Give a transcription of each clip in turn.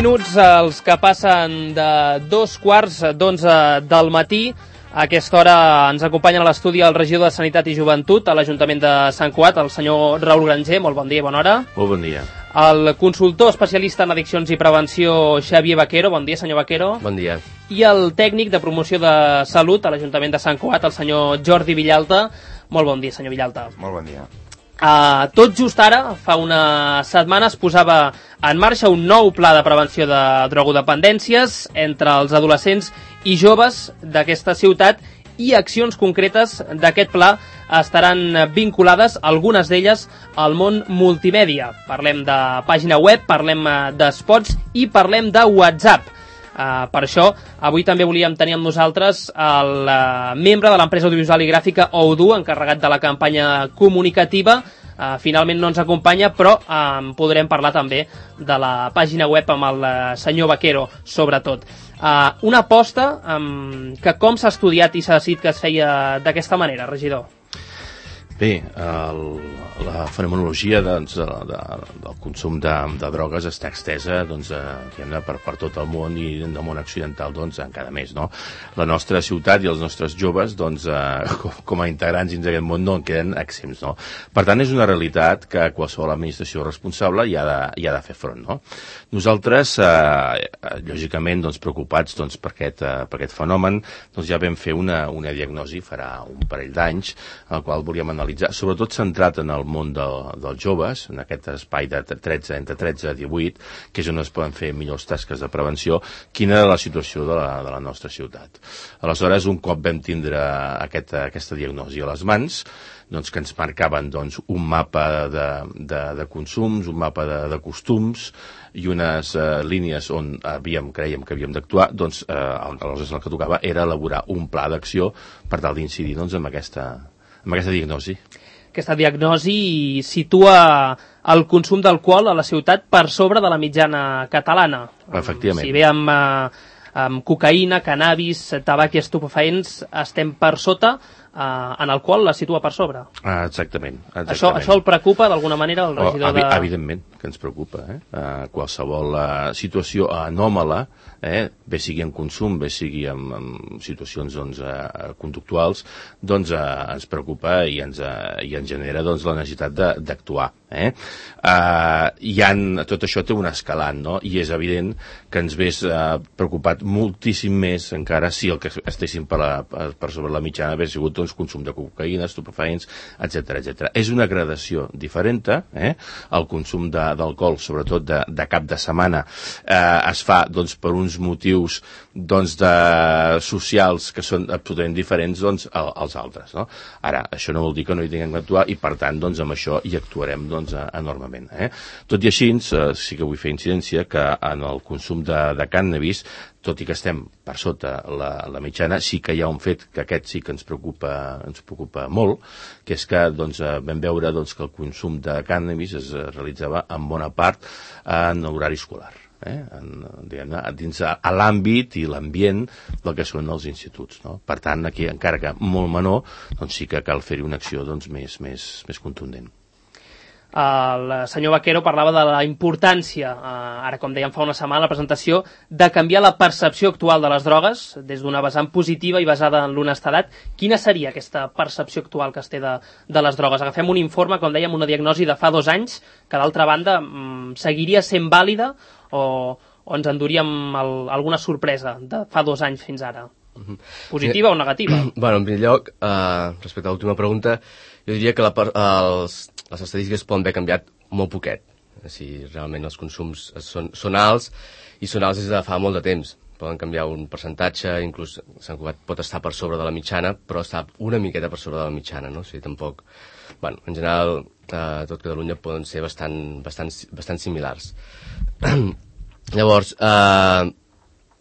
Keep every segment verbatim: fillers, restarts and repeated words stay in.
minuts, els que passen de dos quarts d'onze del matí. A aquesta hora ens acompanyen a l'estudi el regidor de Sanitat i Joventut a l'Ajuntament de Sant Cugat, el senyor Raül Granger. Molt bon dia i bona hora. Molt bon dia. El consultor especialista en addiccions i prevenció, Xavier Vaquero. Bon dia, senyor Vaquero. Bon dia. I el tècnic de promoció de salut a l'Ajuntament de Sant Cugat, el senyor Jordi Villalta. Molt bon dia, senyor Villalta. Molt bon dia. Uh, tot just ara, fa una setmana, es posava en marxa un nou pla de prevenció de drogodependències entre els adolescents i joves d'aquesta ciutat, i accions concretes d'aquest pla estaran vinculades, algunes d'elles, al món multimèdia. Parlem de pàgina web, parlem d'espots i parlem de WhatsApp. Uh, per això, avui també volíem tenir amb nosaltres el uh, membre de l'empresa audiovisual i gràfica Odoo, encarregat de la campanya comunicativa. Uh, finalment no ens acompanya, però uh, podrem parlar també de la pàgina web amb el uh, senyor Vaquero, sobretot. Uh, una aposta um, que com s'ha estudiat i s'ha decidit que es feia d'aquesta manera, regidor? Bé, el, la fenomenologia doncs, de, de, del consum de, de drogues està extesa doncs, eh, per, per tot el món, i en el món occidental doncs, encara més. No? La nostra ciutat i els nostres joves, doncs, eh, com, com a integrants dins d'aquest món, no en queden exempts. No? Per tant, és una realitat que qualsevol administració responsable hi ha de, hi ha de fer front. No? Nosaltres, eh, lògicament, doncs, preocupats doncs, per, aquest, eh, per aquest fenomen, doncs, ja vam fer una, una diagnosi farà un parell d'anys, el qual volíem analitzar, sobretot centrat en el món de, dels joves, en aquest espai de tretze, entre tretze i divuit, que és on es poden fer millors tasques de prevenció, quina era la situació de la, de la nostra ciutat. Aleshores, un cop vam tindre aquest, aquesta diagnosi a les mans, doncs, que ens marcaven doncs, un mapa de, de, de consums, un mapa de, de costums i unes eh, línies on havíem, creiem que havíem d'actuar, doncs, eh, aleshores el que tocava era elaborar un pla d'acció per tal d'incidir doncs, en aquesta amb aquesta diagnosi. Aquesta diagnosi situa el consum d'alcohol a la ciutat per sobre de la mitjana catalana. Efectivament. Si bé amb, amb cocaïna, cannabis, tabac i estupefaents estem per sota, Uh, en el qual la situa per sobre. Ah, exactament. exactament. Això, això el preocupa d'alguna manera el regidor oh, evi de... Evidentment que ens preocupa. Eh? Uh, qualsevol uh, situació anòmala, eh? bé sigui en consum, bé sigui en, en situacions doncs, uh, conductuals, doncs uh, ens preocupa i ens, uh, i ens genera doncs, la necessitat d'actuar. Eh? Uh, hi han, tot això té un escalant, no? I és evident que ens hagués uh, preocupat moltíssim més encara si el que estéssim per, la, per, per sobre la mitjana hagués sigut doncs, consum de cocaïna, estupefaents, etcètera, etcètera. És una gradació diferent, eh? El consum d'alcohol, sobretot de, de cap de setmana, eh, es fa doncs, per uns motius doncs, de, socials que són absolutament diferents doncs, als altres. No? Ara, això no vol dir que no hi tinguem d'actuar, i per tant doncs, amb això hi actuarem doncs, enormement. Eh? Tot i així, eh, sí que vull fer incidència que en el consum de, de cànnabis, tot i que estem per sota la, la mitjana, sí que hi ha un fet que aquest sí que ens preocupa, ens preocupa molt, que és que doncs, vam veure doncs, que el consum de cànnabis es realitzava en bona part en l'horari escolar. Eh? En, diguem, dins a, a l'àmbit i l'ambient del que són els instituts. No? Per tant, aquí, encara que molt menor, doncs sí que cal fer-hi una acció doncs, més, més, més contundent. El senyor Vaquero parlava de la importància, eh, ara com dèiem fa una setmana a la presentació, de canviar la percepció actual de les drogues des d'una vessant positiva i basada en l'honestedat. Quina seria aquesta percepció actual que es té de, de les drogues? Agafem un informe, com dèiem, una diagnosi de fa dos anys, que d'altra banda mm, seguiria sent vàlida o, o ens enduríem el, alguna sorpresa de fa dos anys fins ara? Positiva o negativa? Bueno, en primer lloc, eh, respecte a l'última pregunta, jo diria que la, els, les estadístiques poden haver canviat molt poquet. Si realment els consums són, són alts, i són alts des de fa molt de temps. Poden canviar un percentatge, inclús Sant Cugat pot estar per sobre de la mitjana, però està una miqueta per sobre de la mitjana, no? O sigui, tampoc... Bueno, en general, eh, tot Catalunya poden ser bastant, bastant, bastant similars. Llavors, eh,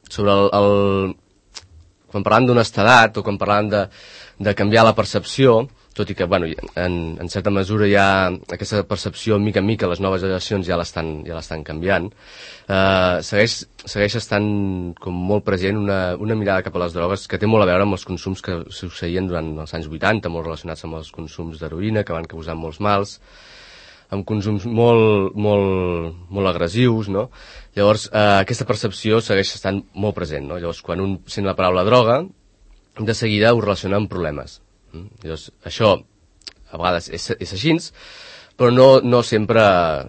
sobre el... el quan parlant d'honestedat o quan parlant de, de canviar la percepció, tot i que, bueno, en, en certa mesura ja aquesta percepció, mica en mica, les noves generacions ja l'estan ja l'estan canviant, eh, segueix, segueix estant com molt present una, una mirada cap a les drogues que té molt a veure amb els consums que succeïen durant els anys vuitanta, molt relacionats amb els consums d'heroïna, que van causar molts mals. amb consums molt, molt, molt agressius, no? Llavors, eh, aquesta percepció segueix estant molt present, no? Llavors, quan un sent la paraula droga, de seguida ho relaciona amb problemes. Llavors, això, a vegades, és, és així, però no, no, sempre,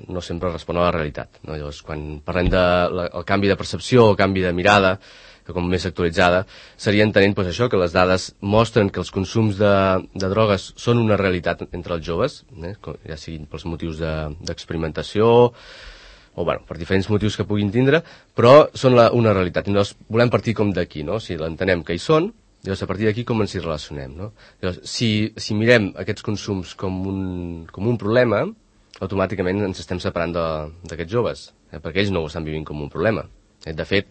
no sempre respon a la realitat, no? Llavors, quan parlem del de canvi de percepció o canvi de mirada, que com més actualitzada, seria entenent pues, això, que les dades mostren que els consums de, de drogues són una realitat entre els joves, eh? Ja siguin pels motius d'experimentació, de, o bueno, per diferents motius que puguin tindre, però són la, una realitat. I llavors volem partir com d'aquí, no? Si l'entenem que hi són, llavors a partir d'aquí com ens hi relacionem, no? Llavors, si, si mirem aquests consums com un, com un problema, automàticament ens estem separant d'aquests joves, eh? Perquè ells no ho estan vivint com un problema. Eh? De fet,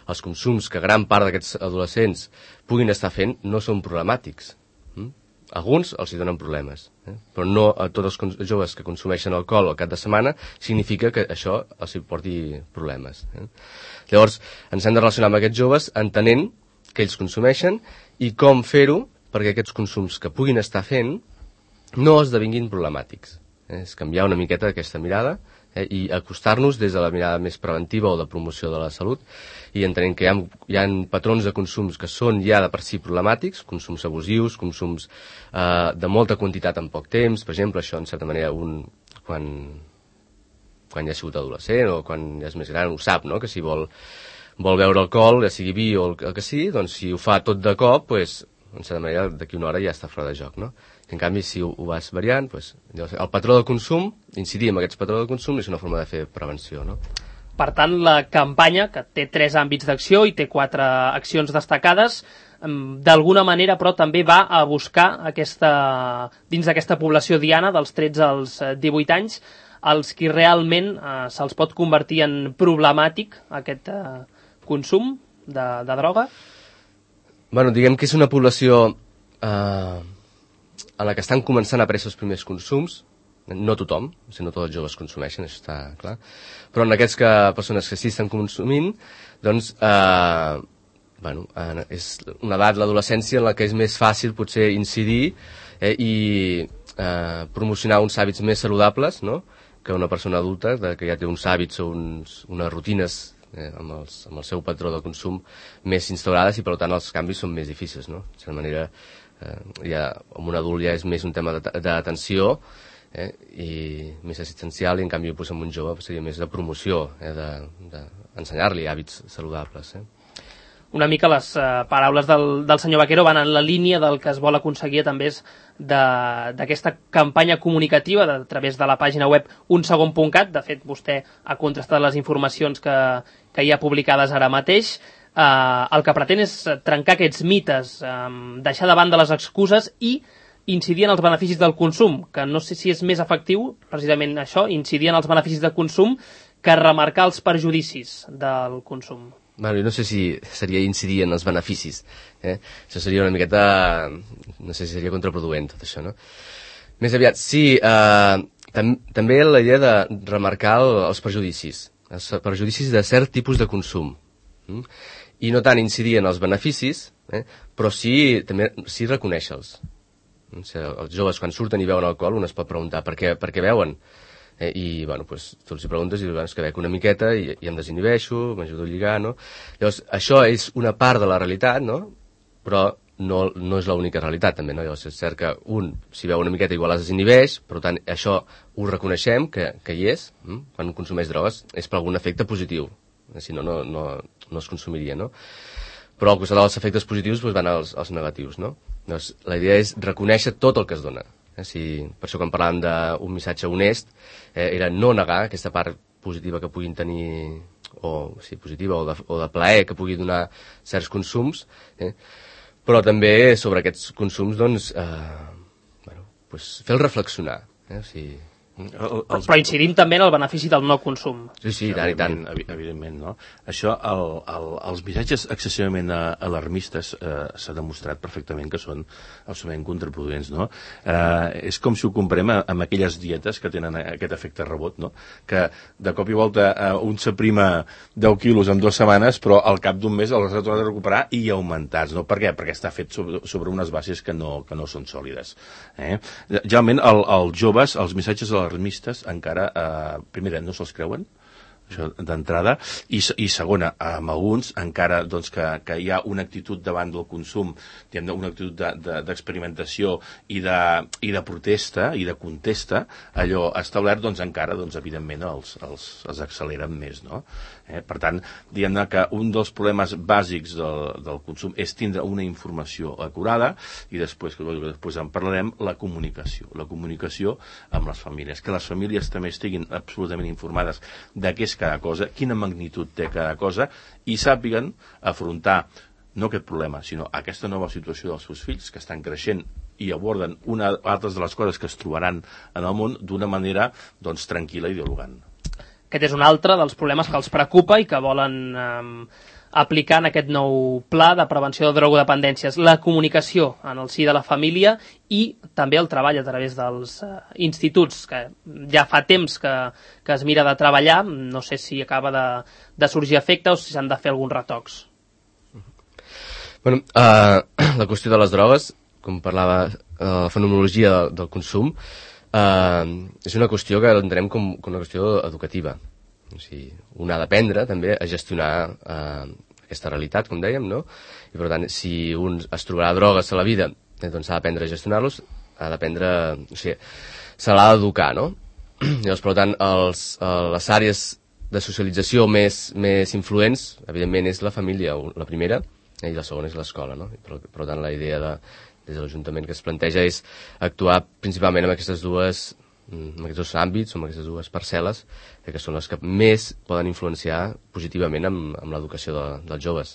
els consums que gran part d'aquests adolescents puguin estar fent no són problemàtics. Mm? Alguns els hi donen problemes, eh? Però no a tots els joves que consumeixen alcohol al cap de setmana significa que això els hi porti problemes. Eh? Llavors, ens hem de relacionar amb aquests joves entenent que ells consumeixen i com fer-ho perquè aquests consums que puguin estar fent no esdevinguin problemàtics. Eh? És canviar una miqueta aquesta mirada eh? I acostar-nos des de la mirada més preventiva o de promoció de la salut i entenent que hi ha, hi ha patrons de consums que són ja de per si problemàtics, consums abusius, consums eh, de molta quantitat en poc temps, per exemple, això en certa manera un, quan, quan ja ha sigut adolescent o quan ja és més gran ho sap, no? Que si vol, vol beure alcohol, ja sigui vi o el, el que sigui, doncs si ho fa tot de cop, pues, en certa manera d'aquí una hora ja està fora de joc, no? En canvi, si ho, ho vas variant, pues, el patró de consum, incidir en aquest patró de consum és una forma de fer prevenció, no? Per tant, la campanya, que té tres àmbits d'acció i té quatre accions destacades, d'alguna manera, però, també va a buscar aquesta, dins d'aquesta població diana, dels tretze als divuit anys, els qui realment eh, se'ls pot convertir en problemàtic aquest eh, consum de, de droga? Bueno, diguem que és una població eh, en la que estan començant a aparèixer els primers consums. No tothom, o sigui, no tots els joves consumeixen, això està clar, però en aquests que, persones que sí estan consumint, doncs, eh, bueno, eh, és una edat, l'adolescència, en la que és més fàcil potser incidir eh, i eh, promocionar uns hàbits més saludables, no?, que una persona adulta, de, que ja té uns hàbits o uns, unes rutines eh, amb, els, amb el seu patró de consum més instaurades i, per tant, els canvis són més difícils, no?, de certa manera, eh, ja, amb un adult ja és més un tema d'atenció, Eh, i més assistencial, i en canvi pues, amb un jove seria més de promoció, eh, d'ensenyar-li de, de hàbits saludables. Eh. Una mica les eh, paraules del, del senyor Vaquero van en la línia del que es vol aconseguir també d'aquesta campanya comunicativa de, a través de la pàgina web un segon punt cat. De fet, vostè ha contrastat les informacions que, que hi ha publicades ara mateix. Eh, el que pretén és trencar aquests mites, eh, deixar de banda les excuses i incidir en els beneficis del consum, que no sé si és més efectiu, precisament això, incidir en els beneficis del consum, que remarcar els perjudicis del consum. Bueno, no sé si seria incidir en els beneficis. Eh? Això seria una miqueta... No sé si seria contraproduent, tot això, no? Més aviat, sí, eh, tam també la idea de remarcar el, els perjudicis, els perjudicis de cert tipus de consum. Mm? I no tant incidir en els beneficis, eh? Però sí, també, sí reconèixer-los. O sigui, els joves, quan surten i beuen alcohol, un es pot preguntar per què, per què beuen. Eh, I, bueno, pues, tu els hi preguntes i dius, bueno, és que bec una miqueta i, i em desinhibeixo, m'ajudo a lligar, no? Llavors, això és una part de la realitat, no? Però no, no és l'única realitat, també, no? Llavors, és cert que un, si beu una miqueta, igual es desinhibeix, per tant, això ho reconeixem, que, que hi és, hm? Quan consumeix drogues, és per algun efecte positiu, si no, no, no, no es consumiria, no? Però al costat dels efectes positius doncs, van als, als negatius, no? Doncs, la idea és reconèixer tot el que es dona. Eh? Si, per això quan parlàvem d'un missatge honest, eh, era no negar aquesta part positiva que puguin tenir, o sí, positiva, o de, o de plaer que pugui donar certs consums, eh? Però també sobre aquests consums, doncs, eh, bueno, pues, fer-los reflexionar. Eh? O sigui, El, els... Però incidim també en el benefici del no consum. Sí, sí, tant i tant. Evidentment, no? Això, el, el, els missatges excessivament alarmistes eh, s'ha demostrat perfectament que són absolutament contraproduents, no? Eh, és com si ho comparem amb aquelles dietes que tenen aquest efecte rebot, no? Que de cop i volta eh, un s'aprima deu quilos en dues setmanes, però al cap d'un mes els ha tornat a recuperar i augmentats, no? Per què? Perquè està fet sobre, sobre unes bases que no, que no són sòlides. Eh? Generalment, el, els joves, els missatges alarmistes encara, eh, primera, no se'ls creuen, això d'entrada, i, i segona, amb alguns encara doncs, que, que hi ha una actitud davant del consum, diguem, una actitud d'experimentació de, de, i, de, i de protesta i de contesta, allò establert, doncs encara, doncs, evidentment, els, els, els acceleren més, no? Eh? Per tant, diguem que un dels problemes bàsics del, del consum és tindre una informació acurada i després, que després en parlarem, la comunicació. La comunicació amb les famílies. Que les famílies també estiguin absolutament informades de què és cada cosa, quina magnitud té cada cosa, i sàpiguen afrontar no aquest problema, sinó aquesta nova situació dels seus fills, que estan creixent i aborden una altres de les coses que es trobaran en el món d'una manera doncs, tranquil·la i dialogant. Aquest és un altre dels problemes que els preocupa i que volen eh, aplicar en aquest nou pla de prevenció de drogodependències. La comunicació en el si de la família i també el treball a través dels eh, instituts, que ja fa temps que, que es mira de treballar, no sé si acaba de, de sorgir efecte o si s'han de fer alguns retocs. Bueno, uh, la qüestió de les drogues, com parlava, uh, la fenomenologia del, del consum, Uh, és una qüestió que l'entenem com, com una qüestió educativa. O sigui, un ha d'aprendre també a gestionar uh, aquesta realitat, com dèiem, no? I per tant, si un es trobarà drogues a la vida, eh, doncs ha d'aprendre a gestionar-los, ha d'aprendre... O sigui, se l'ha d'educar, no? Llavors, per tant, els, uh, les àrees de socialització més, més influents, evidentment, és la família, la primera, eh, i la segona és l'escola, no? I per, per tant, la idea de des de l'Ajuntament que es planteja és actuar principalment en aquestes dues, en aquests dos àmbits, o en aquestes dues parcel·les, que són les que més poden influenciar positivament amb, amb l'educació de, dels joves.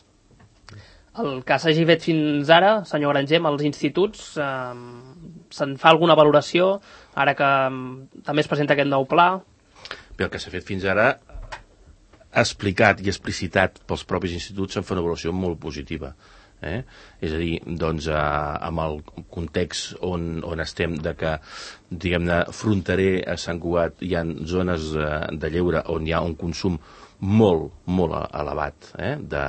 El que s'hagi fet fins ara, senyor Granger, amb els instituts, eh, se'n fa alguna valoració, ara que eh, també es presenta aquest nou pla? Bé, el que s'ha fet fins ara explicat i explicitat pels propis instituts en fa una valoració molt positiva. Eh? És a dir, doncs, eh, amb el context on, on estem de que, diguem-ne, fronterer a Sant Cugat hi ha zones eh, de lleure on hi ha un consum molt, molt elevat eh? de,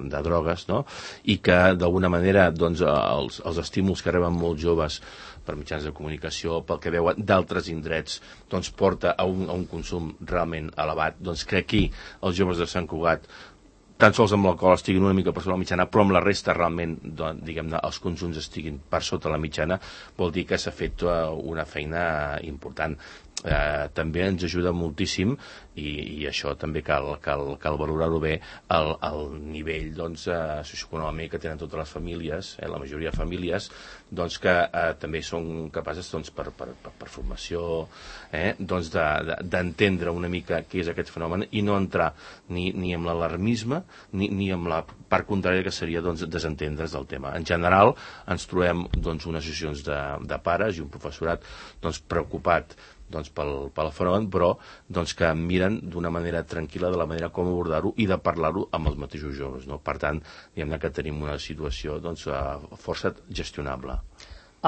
de drogues, no? I que d'alguna manera doncs, els, els estímuls que reben molts joves per mitjans de comunicació, pel que veuen d'altres indrets, doncs porta a un, a un consum realment elevat. Doncs que aquí els joves de Sant Cugat tan sols amb l'alcohol estiguin una mica per sota la mitjana, però amb la resta realment, doncs, diguem-ne, els consums estiguin per sota la mitjana, vol dir que s'ha fet una feina important. Eh, també ens ajuda moltíssim i, i això també cal, cal, cal valorar-ho bé el, el nivell doncs, eh, socioeconòmic que tenen totes les famílies, eh, la majoria de famílies doncs, que eh, també són capaces doncs, per, per, per, per formació eh, doncs, d'entendre de, de, una mica què és aquest fenomen i no entrar ni, ni amb l'alarmisme ni, ni amb la part contrària que seria doncs, desentendre's del tema. En general ens trobem doncs, unes associacions de, de pares i un professorat doncs, preocupat doncs, pel, pel fenomen, però doncs, que miren d'una manera tranquil·la de la manera com abordar-ho i de parlar-ho amb els mateixos joves. No? Per tant, diguem que tenim una situació doncs, força gestionable.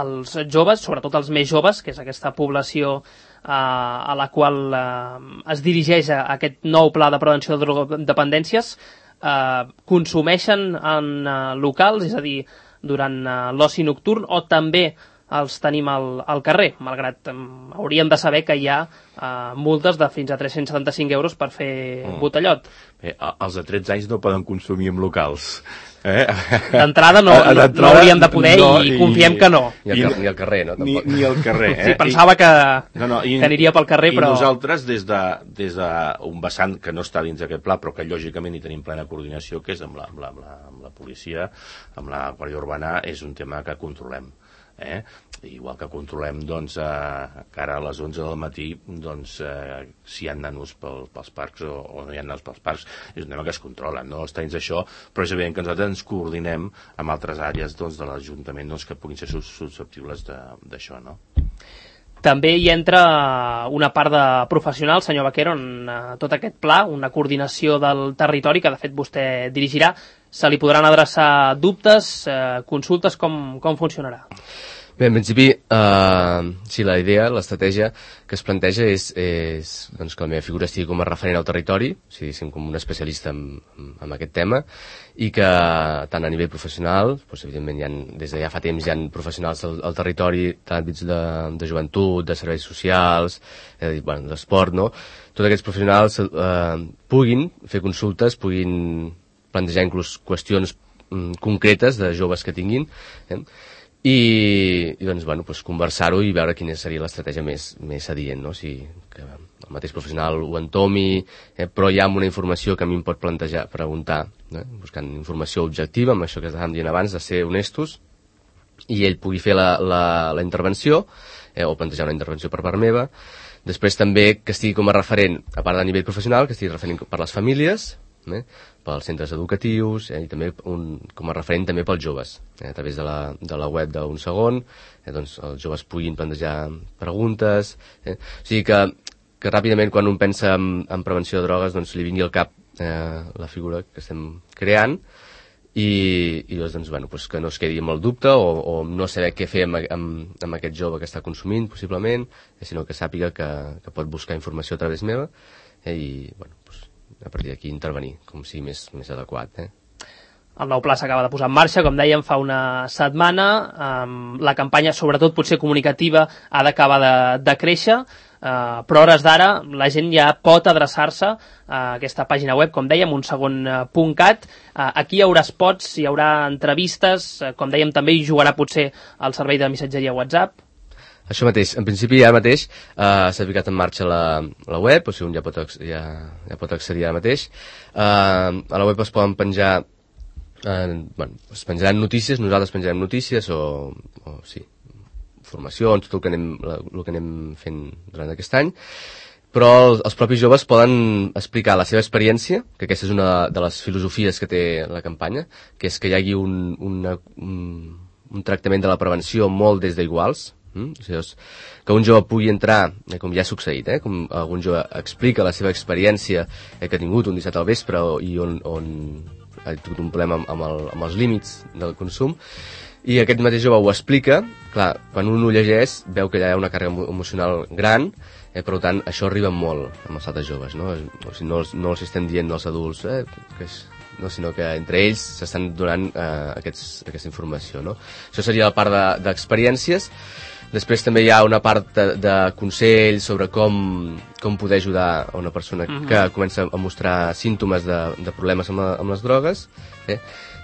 Els joves, sobretot els més joves, que és aquesta població eh, a la qual eh, es dirigeix a aquest nou pla de prevenció de drogodependències, eh, consumeixen en eh, locals, és a dir, durant eh, l'oci nocturn, o també els tenim al, al carrer, malgrat um, hauríem de saber que hi ha uh, multes de fins a tres-cents setanta-cinc euros per fer mm. botellot. Bé, els de tretze anys no poden consumir en locals. Eh? D'entrada no, no, no hauríem de poder no, i, i confiem que no. Ni al, ni al carrer, no? Ni, ni al carrer. Eh? Sí, pensava que, no, no, i, que aniria pel carrer, i però... I nosaltres, des d'un de, des de vessant que no està dins d'aquest pla, però que lògicament hi tenim plena coordinació, que és amb la, amb la, amb la, amb la policia, amb la Guàrdia Urbana, és un tema que controlem. Eh? Igual que controlem doncs, eh, que ara a les onze del matí doncs, eh, si hi ha nanos pel, pels parcs o, o no hi ha nanos pels parcs, és un tema que es controla, no està dins això, però és evident que nosaltres ens coordinem amb altres àrees doncs, de l'Ajuntament doncs, que puguin ser susceptibles d'això, no? També hi entra una part de professional, senyor Vaquero, en uh, tot aquest pla, una coordinació del territori que de fet vostè dirigirà. Se li podran adreçar dubtes, eh, consultes, com, com funcionarà? Bé, en principi, eh, sí, la idea, l'estratègia que es planteja és, és doncs, que la meva figura estigui com a referent al territori, o sigui, com un especialista en, en aquest tema, i que tant a nivell professional, doncs, evidentment, hi ha, des de ja fa temps hi ha professionals al, al territori, tant àmbits de, de joventut, de serveis socials, eh, bueno, d'esport, no? Tots aquests professionals eh, puguin fer consultes, puguin plantejar inclús qüestions mm, concretes de joves que tinguin, eh? I, i doncs, bueno, doncs conversar-ho i veure quina seria l'estratègia més, més adient, no? O sigui, que el mateix professional ho entomi, eh, però ja amb una informació que a mi em pot plantejar, preguntar, eh? Buscant informació objectiva, amb això que estàvem dient abans, de ser honestos, i ell pugui fer la, la, la intervenció, eh, o plantejar una intervenció per part meva. Després també que estigui com a referent, a part de nivell professional, que estigui referent per les famílies, eh, pels centres educatius, eh, i també un, com a referent també pels joves, eh, a través de la, de la web d'un segon, eh, doncs els joves puguin plantejar preguntes, eh, o sigui que, que ràpidament quan un pensa en, en prevenció de drogues doncs li vingui al cap eh, la figura que estem creant, i, i doncs, bueno, doncs que no es quedi amb el dubte o, o no saber què fer amb, amb, amb aquest jove que està consumint possiblement, eh, sinó que sàpiga que, que pot buscar informació a través meva, eh, i bueno, doncs a partir d'aquí intervenir, com sigui més, més adequat. Eh? El nou pla s'acaba de posar en marxa, com dèiem, fa una setmana. Um, la campanya, sobretot potser comunicativa, ha d'acabar de, de créixer, uh, però a hores d'ara la gent ja pot adreçar-se a aquesta pàgina web, com dèiem, un segon punt cat. Uh, aquí hi haurà spots, hi haurà entrevistes, uh, com dèiem, també hi jugarà potser el servei de missatgeria WhatsApp. Això mateix, en principi ara mateix eh, s'ha ficat en marxa la, la web, o sigui, un ja pot, ja, ja pot accedir ara mateix. Eh, a la web es poden penjar, eh, bueno, es penjaran notícies, nosaltres penjarem notícies o, o sí, formacions, tot el que, anem, el que anem fent durant aquest any, però els, els propis joves poden explicar la seva experiència, que aquesta és una de les filosofies que té la campanya, que és que hi hagi un, una, un, un tractament de la prevenció molt des d'iguals. Mm? O sigui, que un jove pugui entrar, eh, com ja ha succeït, eh, com algun jove explica la seva experiència eh, que ha tingut un dissabte al vespre i on, on ha tingut un problema amb, amb, el, amb els límits del consum, i aquest mateix jove ho explica. Clar, quan un ho llegeix veu que allà hi ha una càrrega emocional gran, eh, per tant això arriba molt amb els altres joves, no? O sigui, no, no els estem dient als adults eh, que és, no, sinó que entre ells s'estan donant eh, aquests, aquesta informació, no? Això seria la part de, d'experiències. Després també hi ha una part de, de consells sobre com, com poder ajudar a una persona uh-huh. que comença a mostrar símptomes de, de problemes amb, la, amb les drogues. Eh?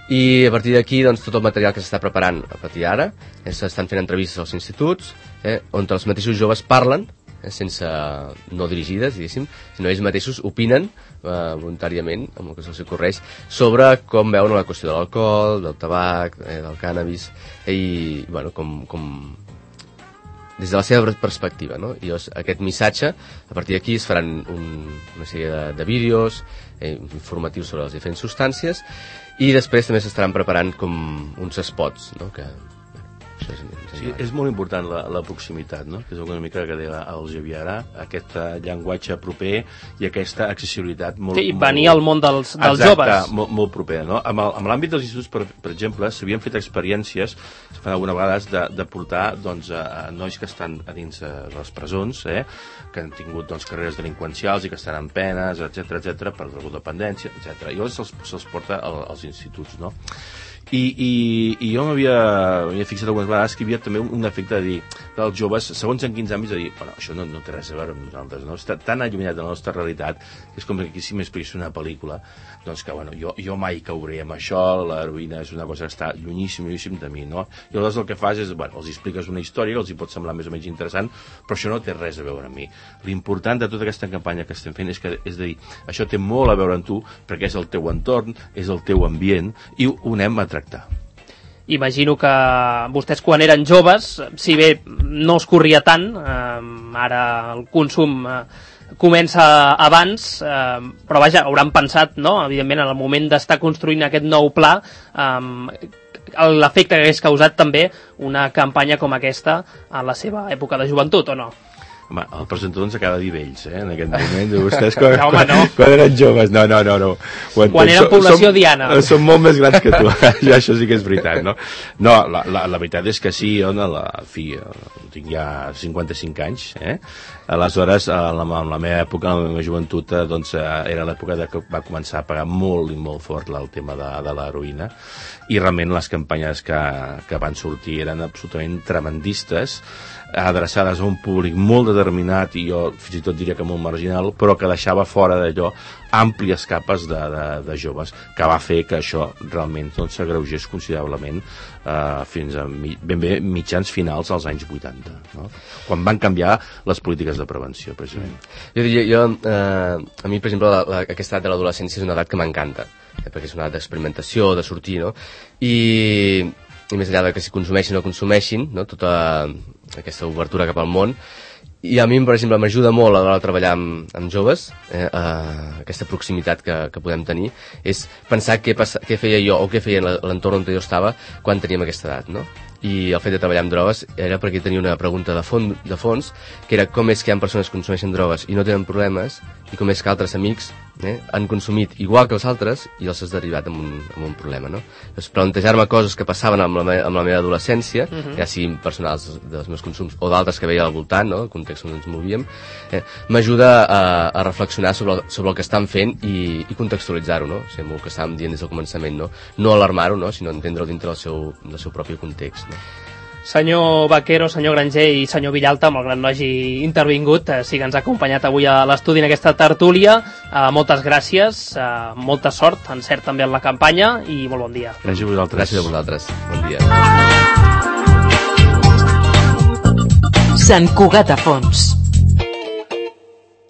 I a partir d'aquí, doncs, tot el material que s'està preparant a partir d'ara, eh, s'estan fent entrevistes als instituts, eh, on els mateixos joves parlen, eh, sense no dirigides, diguéssim, sinó ells mateixos opinen eh, voluntàriament, amb el que se'ls ocorreix, sobre com veuen la qüestió de l'alcohol, del tabac, eh, del cànnabis, eh, i, bueno, com... com des de la seva perspectiva, no? I llavors, aquest missatge, a partir d'aquí es faran un, una sèrie de, de vídeos eh, informatius sobre les diferents substàncies, i després també s'estaran preparant com uns spots, no? Que, bueno, això és, sí, és molt important la, la proximitat, no? Que és una mica que deia el Javier ara, aquest llenguatge proper i aquesta accessibilitat molt... Sí, venir molt, al món dels, dels exacte, joves. Exacte, molt, molt proper, no? Amb, el, amb l'àmbit dels instituts, per, per exemple, s'havien fet experiències, se fan alguna vegades, de, de portar doncs, a, a nois que estan a dins de les presons, eh? Que han tingut doncs, carreres delinqüencials i que estan en penes, etcètera, etcètera, per drogodependència, etcètera. I llavors se'ls, se'ls porta al, als instituts, no? I, i, i jo m'havia fixat algunes vegades que hi havia també un, un efecte de dir dels joves, segons en quins àmbits, de dir, bueno, això no, no té res a veure amb nosaltres, no? Està tan allunyat de la nostra realitat que és com que si m'expliqués una pel·lícula, doncs que, bueno, jo, jo mai cauré amb això, l'heroïna és una cosa que està llunyíssim, llunyíssim de mi, no? I aleshores el que fas és, bueno, els expliques una història que els hi pot semblar més o menys interessant, però això no té res a veure amb mi. L'important de tota aquesta campanya que estem fent és que, és a dir, això té molt a veure amb tu, perquè és el teu entorn, és el teu ambient, i ho anem a tractar. Imagino que vostès quan eren joves, si bé no es corria tant, eh, ara el consum eh, comença abans, eh, però vaja, hauran pensat, no?, evidentment, en el moment d'estar construint aquest nou pla, eh, l'efecte que hagués causat també una campanya com aquesta en la seva època de joventut, o no? Home, el presentador ens acaba de dir vells, eh, en aquest moment. Vostès quan, no, home, no. quan, quan eren joves, no, no, no. no. Quan, quan eren població som, diana. Som molt més grans que tu, ja, això sí que és veritat, no? No, la, la, la veritat és que sí, jo, la, fi, tinc ja cinquanta-cinc anys, eh? Aleshores, en la, en la meva època, en la meva joventut, doncs, era l'època que va començar a pagar molt i molt fort el tema de, de l'heroïna, i realment les campanyes que, que van sortir eren absolutament tremendistes, adreçades a un públic molt determinat i jo fins i tot diria que molt marginal, però que deixava fora d'allò àmplies capes de, de, de joves, que va fer que això realment doncs, s'agreugés considerablement eh, fins a mi, ben bé mitjans finals als anys vuitanta, no? Quan van canviar les polítiques de prevenció, precisament. Jo diria, jo, eh, a mi, per exemple, la, la, aquesta edat de l'adolescència és una edat que m'encanta, eh, perquè és una edat d'experimentació, de sortir, no? I, i més enllà de que si consumeixin o consumeixin, no? Tota aquesta obertura cap al món. I a mi, per exemple, m'ajuda molt a l'hora de treballar amb, amb joves, eh, eh, aquesta proximitat que, que podem tenir, és pensar què, passa, què feia jo o què feia en l'entorn on jo estava quan teníem aquesta edat, no? I el fet de treballar amb drogues era perquè tenia una pregunta de, fons, de fons, que era com és que hi ha persones que consumeixen drogues i no tenen problemes, i com és que altres amics eh, han consumit igual que els altres i els has derivat amb un, amb un problema, no? Doncs plantejar-me coses que passaven amb la, me, amb la meva adolescència, uh -huh. ja siguin personals dels meus consums o d'altres que veia al voltant, no? El context on ens movíem, eh, m'ajuda a, a reflexionar sobre, sobre el que estan fent i, i contextualitzar-ho, no? O sigui, el que estàvem dient des del començament, no? No alarmar-ho, no? Sinó entendre-ho dintre del seu, del seu propi context. Senyor Vaquero, senyor Granger i senyor Villalta, malgrat no hagi intervingut, eh, sí que ens ha acompanyat avui a l'estudi en aquesta tertúlia. Eh, moltes gràcies, eh, molta sort, encert també en la campanya i molt bon dia. Gràcies a vosaltres. Gràcies a vosaltres. Bon dia. Sant Cugat a Fons.